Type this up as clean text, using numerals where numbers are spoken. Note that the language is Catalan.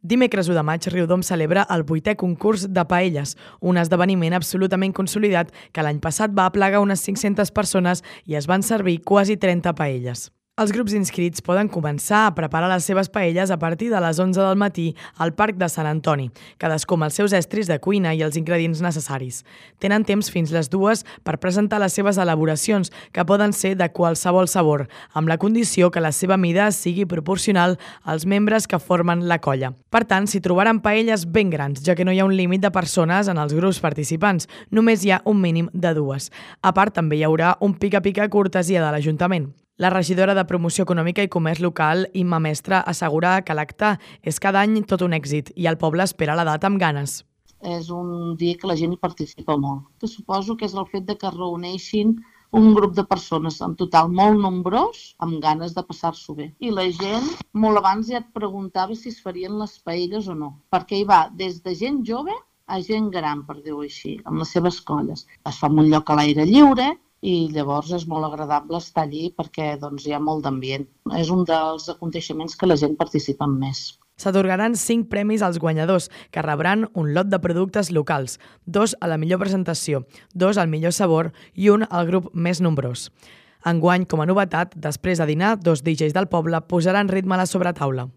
Dimecres 1 de maig, Riudoms celebra el 8è concurs de paelles, un esdeveniment absolutament consolidat que l'any passat va aplegar unes 500 persones i es van servir quasi 30 paelles. Els grups inscrits poden començar a preparar les seves paelles a partir de les 11 del matí al Parc de Sant Antoni, cadascú amb els seus estris de cuina i els ingredients necessaris. Tenen temps fins les 2 per presentar les seves elaboracions, que poden ser de qualsevol sabor, amb la condició que la seva mida sigui proporcional als membres que formen la colla. Per tant, s'hi trobaran paelles ben grans, ja que no hi ha un límit de persones en els grups participants, només hi ha un mínim de 2. A part, també hi haurà un pica-pica cortesia de l'Ajuntament. La regidora de Promoció Econòmica i Comerç Local, Imma Mestre, assegura que l'acte és cada any tot un èxit i el poble espera la data amb ganes. És un dia que la gent hi participa molt. Que suposo que és el fet de que es reuneixin un grup de persones en total molt nombrós, amb ganes de passar-s'ho bé. I la gent molt abans ja et preguntava si es farien les paelles o no, perquè hi va des de gent jove a gent gran, per dir-ho així, amb les seves colles. Es fa en un lloc a l'aire lliure, i llavors és molt agradable estar allí perquè hi ha molt d'ambient. És un dels aconteixements que la gent participa més. S'atorgaran 5 premis als guanyadors, que rebran un lot de productes locals, 2 a la millor presentació, 2 al millor sabor i 1 al grup més nombrós. Enguany, com a novetat, després de dinar, 2 DJs del poble posaran ritme a la sobretaula.